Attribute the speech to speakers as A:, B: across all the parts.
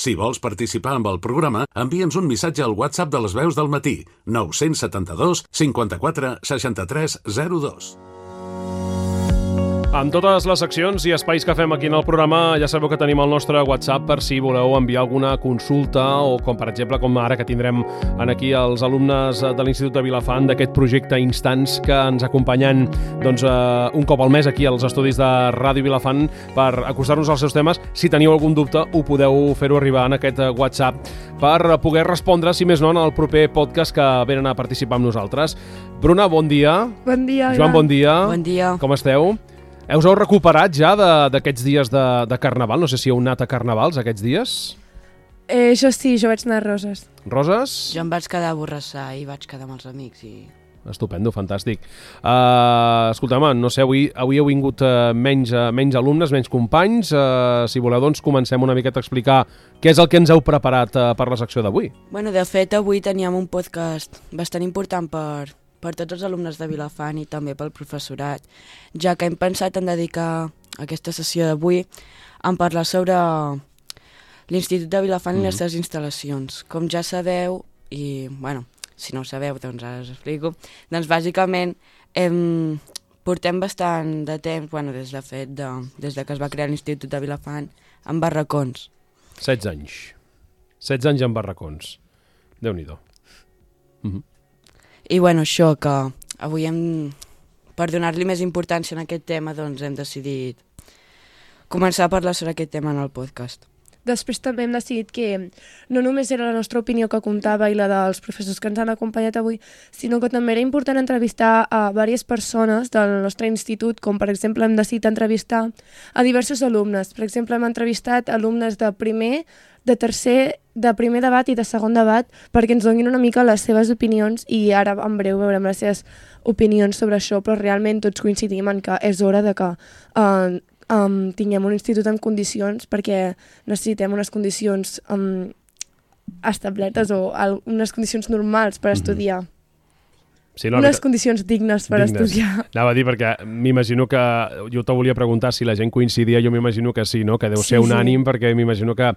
A: Si vols participar amb el programa, envia'ns un missatge al WhatsApp de les veus del matí, 972 54 63 02.
B: Amb totes les seccions i espais que fem aquí en el programa, ja sabeu que tenim el nostre WhatsApp per si voleu enviar alguna consulta o, com per exemple, com ara que tindrem aquí els alumnes de l'Institut de Vilafant d'aquest projecte Instants que ens acompanyen un cop al mes aquí als estudis de Ràdio Vilafant per acostar-nos als seus temes. Si teniu algun dubte, ho podeu fer-ho arribar en aquest WhatsApp per poder respondre, si més no, en el proper podcast que venen a participar amb nosaltres. Bruna, bon dia.
C: Bon dia.
B: Joan, bon dia.
D: Bon dia.
B: Com esteu? Us heu recuperat ja d'aquests dies de Carnaval? No sé si heu anat a Carnavals aquests dies.
C: Jo sí, jo vaig anar a Roses.
B: Roses?
D: Jo em vaig quedar a Borrassà i vaig quedar amb els amics i...
B: Estupendo, fantàstic. Escolta'm, no sé, avui heu vingut menys alumnes, menys companys. Si voleu, doncs, comencem una miqueta a explicar què és el que ens heu preparat per la secció d'avui.
D: Bueno, de fet, avui teníem un podcast bastant important per tots els alumnes de Vilafant i també pel professorat, ja que hem pensat en dedicar aquesta sessió d'avui a parlar sobre l'Institut de Vilafant i les seves instal·lacions. Com ja sabeu, i bueno, si no ho sabeu, doncs ara us explico, doncs bàsicament portem bastant de temps, bueno, des de que es va crear l'Institut de Vilafant, amb barracons.
B: 16 anys. 16 anys amb barracons. Déu-n'hi-do.
D: I bueno, això, que avui per donar-li més importància en aquest tema, doncs hem decidit començar a parlar sobre aquest tema en el podcast.
C: Després també hem decidit que no només era la nostra opinió que comptava i la dels professors que ens han acompanyat avui, sinó que també era important entrevistar a diverses persones del nostre institut, com per exemple hem decidit entrevistar a diversos alumnes. Per exemple, hem entrevistat alumnes de primer, de tercer, de primer debat i de segon debat perquè ens donin una mica les seves opinions i ara en breu veurem les seves opinions sobre això, però realment tots coincidim en que és hora de que tinguem un institut en condicions perquè necessitem unes condicions establertes o unes condicions normals per estudiar.
B: Sí, no,
C: unes condicions dignes per estudiar.
B: Anava a dir, perquè m'imagino que... Jo te volia preguntar si la gent coincidia, jo m'imagino que sí, no? Que deu ser unànim, perquè m'imagino que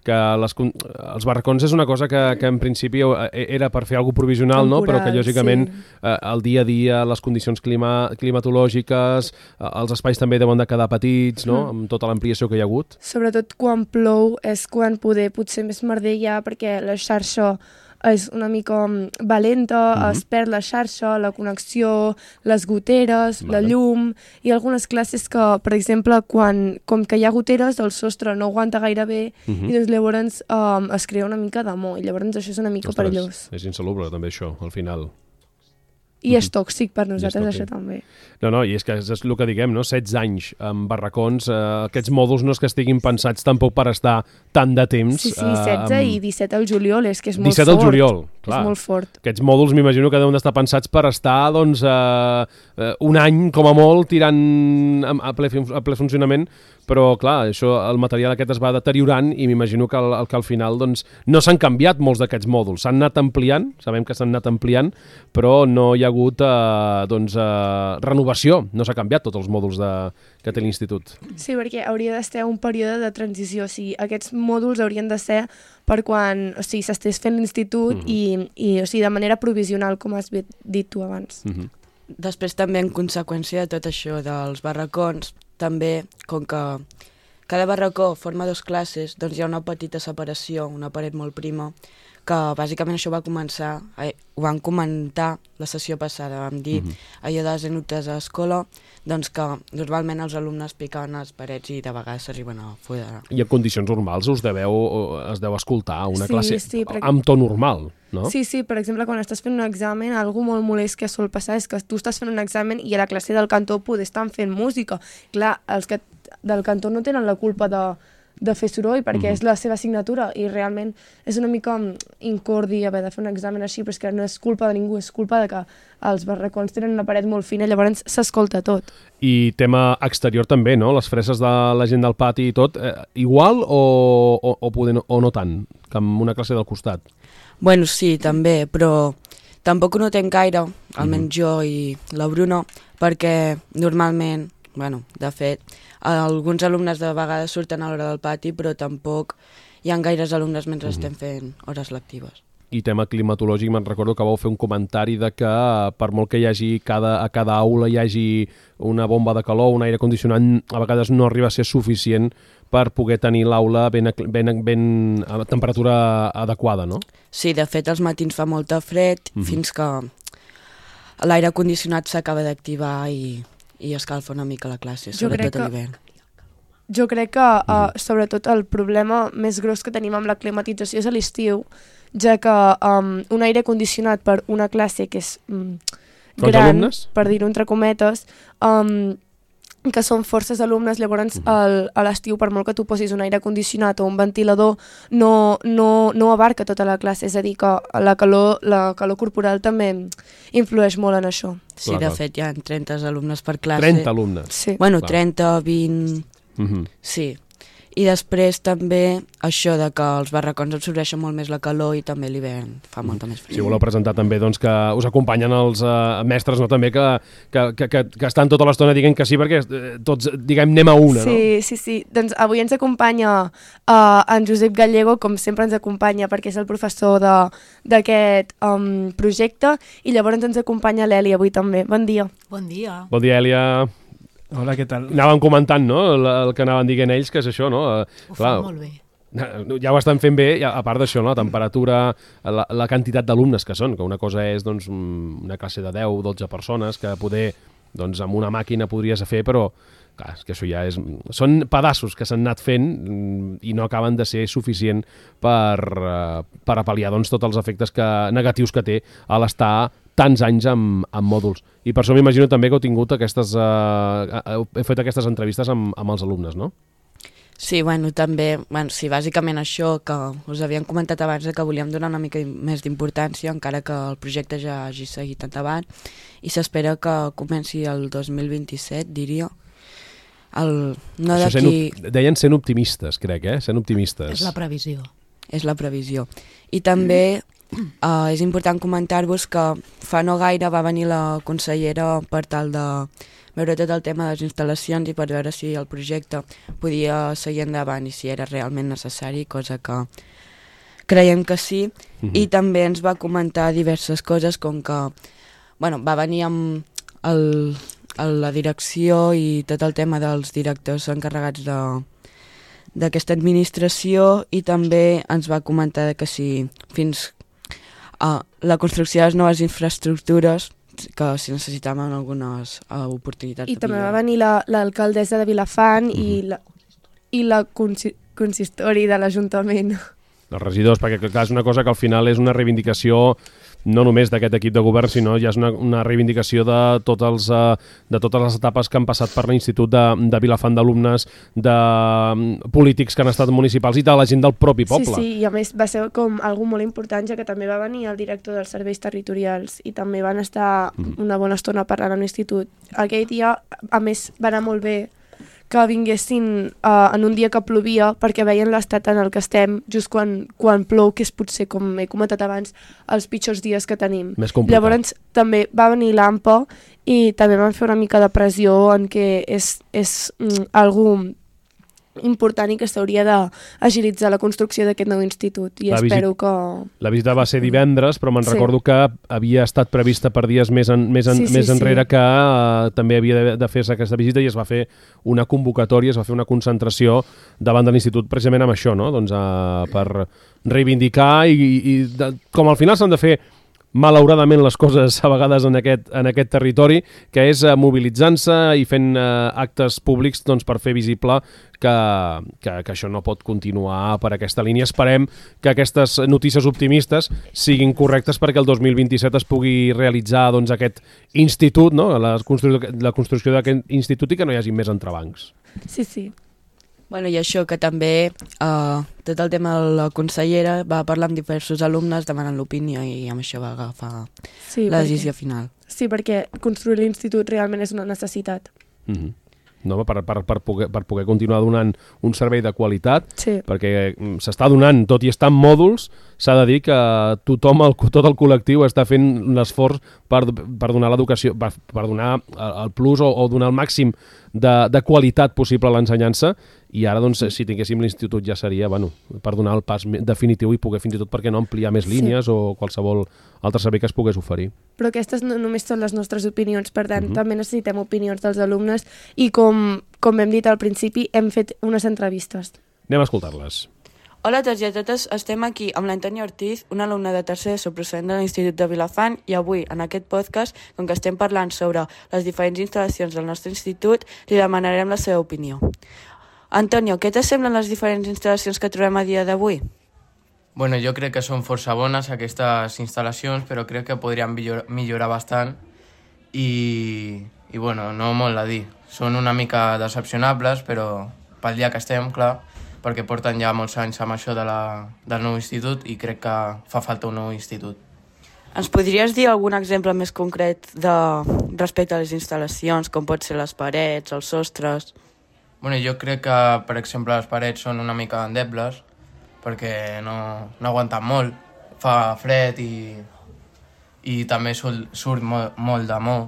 B: els barracons és una cosa que en principi era per fer alguna provisional, no? Però que lògicament el dia a dia, les condicions climatològiques, els espais també deuen de quedar petits, no? Amb tota l'ampliació que hi ha hagut.
C: Sobretot quan plou és quan potser més merder hi ha, perquè la xarxa és una mica valenta, es perd la xarxa, la connexió, les goteres, la llum i algunes classes que, per exemple, com que hi ha goteres, el sostre no aguanta gaire bé i doncs llavors es crea una mica d'amor i llavors això és una mica perillós.
B: És insalubre també això, al final.
C: I és tòxic per nosaltres, això també.
B: No, i és que és el que diguem, no? 16 anys amb barracons, aquests mòduls no és que estiguin pensats tampoc per estar tant de temps.
C: Sí, 16 i 17 al juliol, és que és molt fort.
B: 17 al juliol, clar.
C: És molt fort.
B: Aquests mòduls m'imagino que deuen d'estar pensats per estar, doncs, un any, com a molt, tirant a ple funcionament, però, clar, el material aquest es va deteriorant i m'imagino que al final, doncs, no s'han canviat molts d'aquests mòduls. S'han anat ampliant, sabem que s'han anat ampliant, però no hi ha hagut renovació, no s'ha canviat tots els mòduls que té l'Institut.
C: Sí, perquè hauria d'estar un període de transició, o sigui, aquests mòduls haurien de ser per quan s'estés fent l'Institut i o sigui, de manera provisional, com has dit tu abans.
D: Després també en conseqüència de tot això dels barracons, també com que cada barracó forma 2 classes, doncs hi ha una petita separació, una paret molt prima, que bàsicament això va començar, ho van comentar la sessió passada, vam dir allò de les anècdotes a l'escola, doncs que normalment els alumnes picaven a les parets i de vegades s'arriben a fotre.
B: I en condicions normals es deu escoltar una classe
C: perquè...
B: amb to normal, no?
C: Sí, per exemple, quan estàs fent un examen, algo molt molest que sol passar és que tu estàs fent un examen i a la classe del cantó estan fent música. Clar, els que del cantó no tenen la culpa de fer soroll perquè és la seva assignatura i realment és una mica incordi haver de fer un examen així, però és que no és culpa de ningú, és culpa de que els barracons tenen una paret molt fina, llavors s'escolta tot.
B: I tema exterior també, no? Les freses de la gent del pati i tot, igual o no tant, que amb una classe del costat?
D: Bueno, sí, també, però tampoc ho notem gaire, almenys jo i la Bruna, perquè normalment, de fet, alguns alumnes de vegades surten a l'hora del pati, però tampoc hi ha gaires alumnes mentre estem fent hores lectives.
B: I tema climatològic, me'n recordo que vau fer un comentari de que per molt que hi hagi a cada aula hi hagi una bomba de calor, un aire condicionat, a vegades no arriba a ser suficient per poder tenir l'aula ben a temperatura adequada, no?
D: Sí, de fet, als matins fa molta fred fins que l'aire condicionat s'acaba d'activar i escalfa una mica la classe, sobretot a l'hivern.
C: Jo crec que, sobretot, el problema més gros que tenim amb la climatització és a l'estiu, ja que un aire condicionat per una classe que és gran, per dir-ho entre cometes, que són forces alumnes, llavors a l'estiu, per molt que tu posis un aire condicionat o un ventilador, no abarca tota la classe, és a dir, que la calor corporal també influeix molt en això.
D: Sí, de fet, hi ha 30 alumnes per classe.
B: 30 alumnes?
C: Sí.
D: Bueno, 30, 20... Sí. I després també això de que els barracons absorbeixen molt més la calor i també l'hivern fa molta més fred.
B: Si voleu presentar també doncs, que us acompanyen els mestres, no? També que estan tota l'estona dient que sí, perquè tots, diguem, anem a una, no?
C: Sí. Doncs avui ens acompanya en Josep Gallego, com sempre ens acompanya perquè és el professor d'aquest projecte, i llavors ens acompanya l'Èlia avui també. Bon dia.
E: Bon dia.
B: Bon dia, Èlia.
E: Hola, què tal?
B: Anàvem comentant, no?, el que anaven dient ells, que és això, no?
E: Ho fan molt bé.
B: Ja ho estan fent bé, a part d'això, no? La temperatura, la quantitat d'alumnes que són, que una cosa és doncs, una classe de 10 o 12 persones que poder, doncs, amb una màquina podries fer, però clar, és que això ja és... Són pedaços que s'han anat fent i no acaben de ser suficient per apal·liar doncs, tots els efectes negatius que té a l'estar tants anys amb mòduls. I per això m'imagino també que heu tingut heu fet aquestes entrevistes amb els alumnes, no?
D: Sí, també, sí, bàsicament això que us havíem comentat abans, que volíem donar una mica més d'importància, encara que el projecte ja hagi seguit endavant, i s'espera que comenci el 2027, diria. No d'aquí...
B: Deien sent optimistes, crec, sent optimistes.
E: És la previsió.
D: És la previsió. I també és important comentar-vos que fa no gaire va venir la consellera per tal de veure tot el tema de les instal·lacions i per veure si el projecte podia seguir endavant i si era realment necessari, cosa que creiem que sí. I també ens va comentar diverses coses, com que va venir amb la direcció i tot el tema dels directors encarregats d'aquesta administració, i també ens va comentar que si fins la construcció de les noves infraestructures, que si necessitaven algunes oportunitats.
C: I també va venir l'alcaldessa de Vilafant i la consistori de l'Ajuntament.
B: Els regidors, perquè clar, és una cosa que al final és una reivindicació no només d'aquest equip de govern, sinó ja és una reivindicació de totes les etapes que han passat per l'Institut de Vilafant, d'alumnes, de polítics que han estat municipals i de la gent del propi poble.
C: Sí, i a més va ser com algo molt important, ja que també va venir el director dels serveis territorials i també van estar una bona estona parlant a l'institut. Aquell dia, a més, va anar molt bé que vinguessin en un dia que plovia, perquè veien l'estat en el que estem just quan plou, que és potser, com he comentat abans, els pitjors dies que tenim.
B: Més complicat.
C: Llavors també va venir l'AMPA i també van fer una mica de pressió en què és algo important i que s'hauria d'agilitzar la construcció d'aquest nou institut, i espero que...
B: La visita va ser divendres, però me'n recordo que havia estat prevista per dies més enrere, que també havia de fer-se aquesta visita, i es va fer una convocatòria, es va fer una concentració davant de l'institut precisament amb això, no? Doncs, per reivindicar i com al final s'han de fer malauradament les coses a vegades en aquest territori, que és mobilitzant-se i fent actes públics doncs, per fer visible que això no pot continuar per aquesta línia. Esperem que aquestes notícies optimistes siguin correctes perquè el 2027 es pugui realitzar doncs, aquest institut, no? la construcció d'aquest institut, i que no hi hagi més entrebancs.
C: Sí.
D: I això que també tot el tema de la consellera va parlar amb diversos alumnes demanant l'opinió, i amb això va agafar la decisió final.
C: Sí, perquè construir l'institut realment és una necessitat.
B: No, per poder continuar donant un servei de qualitat,
C: sí.
B: Perquè s'està donant, tot i estar en mòduls, s'ha de dir que tothom, tot el col·lectiu està fent l'esforç per donar l'educació, per donar el plus o donar el màxim de qualitat possible a l'ensenyança, i ara, doncs, si tinguéssim l'institut ja seria, per donar el pas definitiu i poder fins i tot, perquè no, ampliar més línies o qualsevol altre servei que es pogués oferir.
C: Però aquestes no només són les nostres opinions, per tant, també necessitem opinions dels alumnes i, com hem dit al principi, hem fet unes entrevistes.
B: Anem a escoltar-les.
D: Hola a tots i a totes, estem aquí amb l'Antònia Ortiz, una alumna de tercer d'ESO procedent de l'Institut de Vilafant, i avui, en aquest podcast, com que estem parlant sobre les diferents instal·lacions del nostre institut, li demanarem la seva opinió. Antonio, què t'assemblen les diferents instal·lacions que trobem a dia d'avui?
F: Bueno, jo crec que són força bones aquestes instal·lacions, però crec que podrien millorar bastant i bueno, no molt a dir. Són una mica decepcionables, però pel dia que estem, clar, perquè porten ja molts anys amb això del nou institut i crec que fa falta un nou institut.
D: Ens podries dir algun exemple més concret respecte a les instal·lacions, com pot ser les parets, els sostres?
F: Bueno, jo crec que, per exemple, les parets són una mica endebles perquè no aguanten molt, fa fred i també surt molt d'amor.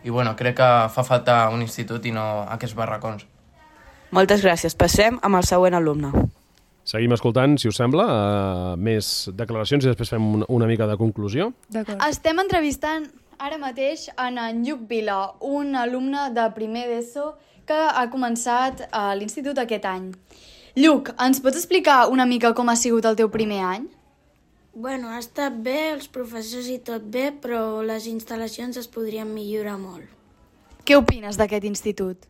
F: I bueno, crec que fa falta un institut i no aquests barracons.
D: Moltes gràcies. Passem amb el següent alumne.
B: Seguim escoltant, si us sembla, més declaracions i després fem una mica de conclusió.
C: D'acord.
G: Estem entrevistant ara mateix en Lluc Vila, un alumne de primer d'ESO que ha començat a l'institut aquest any. Lluc, ens pots explicar una mica com ha sigut el teu primer any?
H: Bueno, ha estat bé, els professors i tot bé, però les instal·lacions es podrien millorar molt.
G: Què opines d'aquest institut?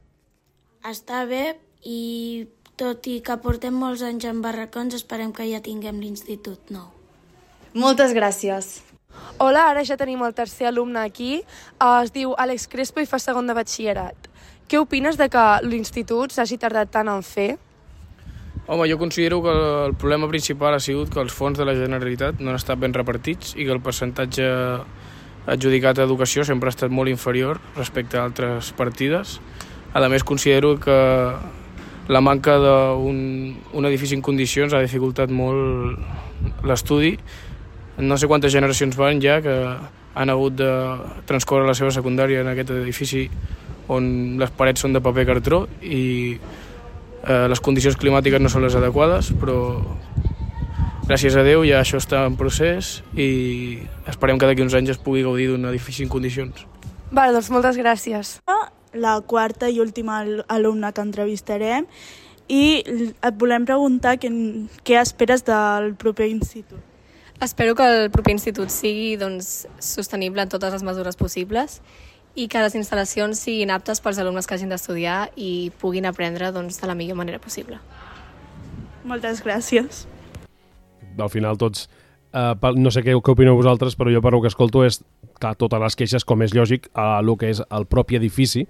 H: Està bé i tot i que portem molts anys en barracons, esperem que ja tinguem l'institut nou.
G: Moltes gràcies.
C: Hola, ara ja tenim el tercer alumne aquí. Es diu Àlex Crespo i fa segon de batxillerat. Què opines de que l'institut s'hagi tardat tant en fer?
E: Home, jo considero que el problema principal ha sigut que els fons de la Generalitat no han estat ben repartits i que el percentatge adjudicat a educació sempre ha estat molt inferior respecte a altres partides. A més, considero que la manca d'un edifici en condicions ha dificultat molt l'estudi. No sé quantes generacions van ja que han hagut de transcórrer la seva secundària en aquest edifici on les parets són de paper cartró i les condicions climàtiques no són les adequades, però gràcies a Déu ja això està en procés i esperem que d'aquí uns anys es pugui gaudir d'un edifici en condicions.
C: Vale, doncs moltes gràcies.
I: La quarta i última alumna que entrevistarem i et volem preguntar què esperes del proper institut.
J: Espero que el proper institut sigui sostenible en totes les mesures possibles i que les instal·lacions siguin aptes pels alumnes que hagin d'estudiar i puguin aprendre de la millor manera possible.
I: Moltes gràcies.
B: Al final tots, no sé què opineu vosaltres, però jo per el que escolto és clar, totes les queixes, com és lògic, a el que és el propi edifici,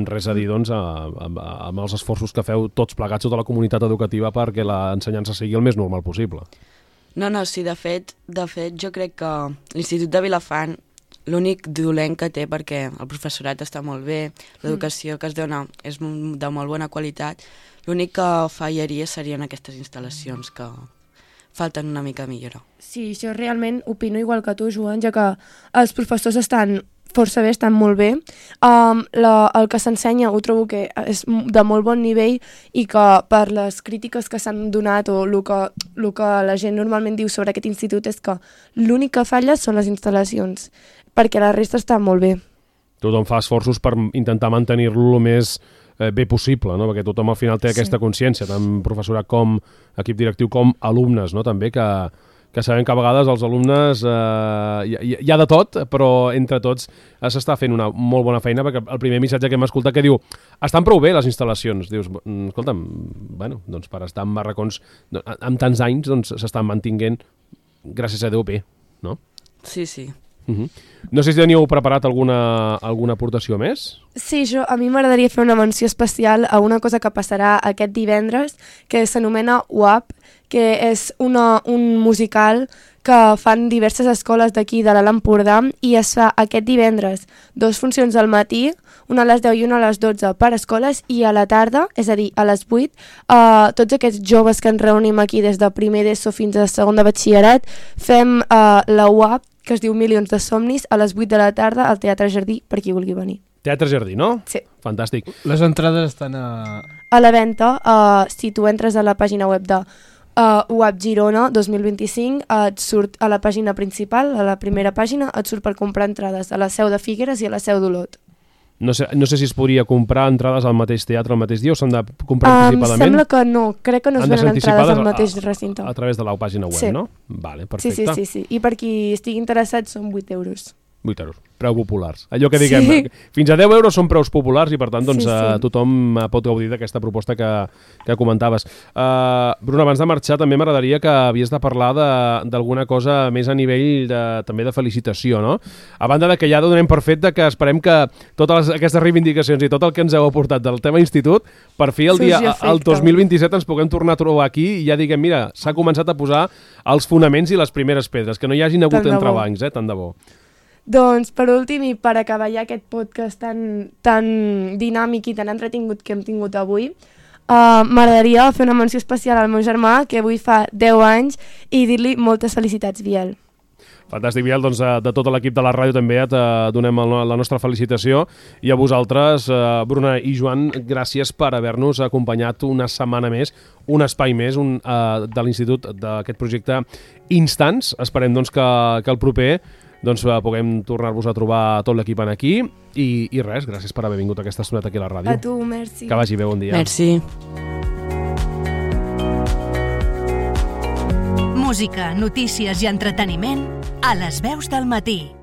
B: res a dir amb els esforços que feu tots plegats, tota la comunitat educativa, perquè l'ensenyança sigui el més normal possible.
D: No, sí, de fet jo crec que l'Institut de Vilafant l'únic dolent que té, perquè el professorat està molt bé, l'educació que es dona és de molt bona qualitat, l'únic que fallaria serien aquestes instal·lacions que falten una mica millora.
C: Sí, jo realment opino igual que tu, Joan, ja que els professors estan força bé, estan molt bé. El que s'ensenya ho trobo que és de molt bon nivell i que per les crítiques que s'han donat o el que la gent normalment diu sobre aquest institut és que l'únic que falla són les instal·lacions, perquè la resta està molt bé.
B: Tothom fa esforços per intentar mantenir-lo el més bé possible, no? Perquè tothom al final té aquesta consciència, tant professorat com equip directiu com alumnes, no? També que sabem que a vegades els alumnes hi ha de tot, però entre tots s'està fent una molt bona feina, perquè el primer missatge que hem escoltat que diu estan prou bé les instal·lacions. Dius, escolta'm, bueno, doncs per estar en barracons amb tants anys doncs s'estan mantinguent, gràcies a Déu, bé, no?
D: Sí.
B: No sé si teniu preparat alguna aportació més?
C: Sí, a mi m'agradaria fer una menció especial a una cosa que passarà aquest divendres, que s'anomena UAP, que és un musical que fan diverses escoles d'aquí de l'Alt Empordà i es fa aquest divendres 2 funcions al matí, una a les 10 i una a les 12 per escoles, i a la tarda, és a dir, a les 8, tots aquests joves que ens reunim aquí des de primer d'ESO fins a segon de batxillerat, fem la UAP, que es diu Milions de Somnis, a les 8 de la tarda al Teatre Jardí, per qui vulgui venir.
B: Teatre Jardí, no?
C: Sí.
B: Fantàstic.
K: Les entrades estan a
C: la venda, si tu entres a la pàgina web de UAP Girona 2025, et surt a la pàgina principal, a la primera pàgina, et surt per comprar entrades a la Seu de Figueres i a la Seu d'Olot.
B: No sé si es podria comprar entrades al mateix teatre el mateix dia o s'han de comprar anticipadament?
C: Sembla que no, crec que no es venen entrades al mateix recinte.
B: A través de la pàgina web, no? Vale, perfecte.
C: Sí. I per qui estigui interessat són 8 euros.
B: 8 euros, preu populars. Allò que diguem, fins a 10 euros són preus populars i per tant tothom pot gaudir d'aquesta proposta que comentaves. Bruna, abans de marxar també m'agradaria que havies de parlar d'alguna cosa més a nivell també de felicitació, no? A banda que ja donem per fet que esperem que totes aquestes reivindicacions i tot el que ens heu aportat del tema institut, per fi el 2027 ens puguem tornar a trobar aquí i ja diguem, mira, s'ha començat a posar els fonaments i les primeres pedres, que no hi hagin hagut entrebancs, tant de bo.
C: Doncs, per últim, i per acabar ja aquest podcast tan dinàmic i tan entretingut que hem tingut avui, m'agradaria fer una menció especial al meu germà, que avui fa 10 anys, i dir-li moltes felicitats, Biel.
B: Fantàstic, Biel. Doncs de tot l'equip de la ràdio també et donem la nostra felicitació. I a vosaltres, Bruna i Joan, gràcies per haver-nos acompanyat una setmana més, un espai més de l'Institut d'aquest projecte Instants. Esperem doncs, que el proper puguem tornar-vos a trobar tot l'equip aquí i res, gràcies per haver vingut aquesta estoneta aquí a la ràdio.
C: A tu, merci.
B: Que vagi bé, bon dia.
D: Merci.
L: Música, notícies i entreteniment a les veus del matí.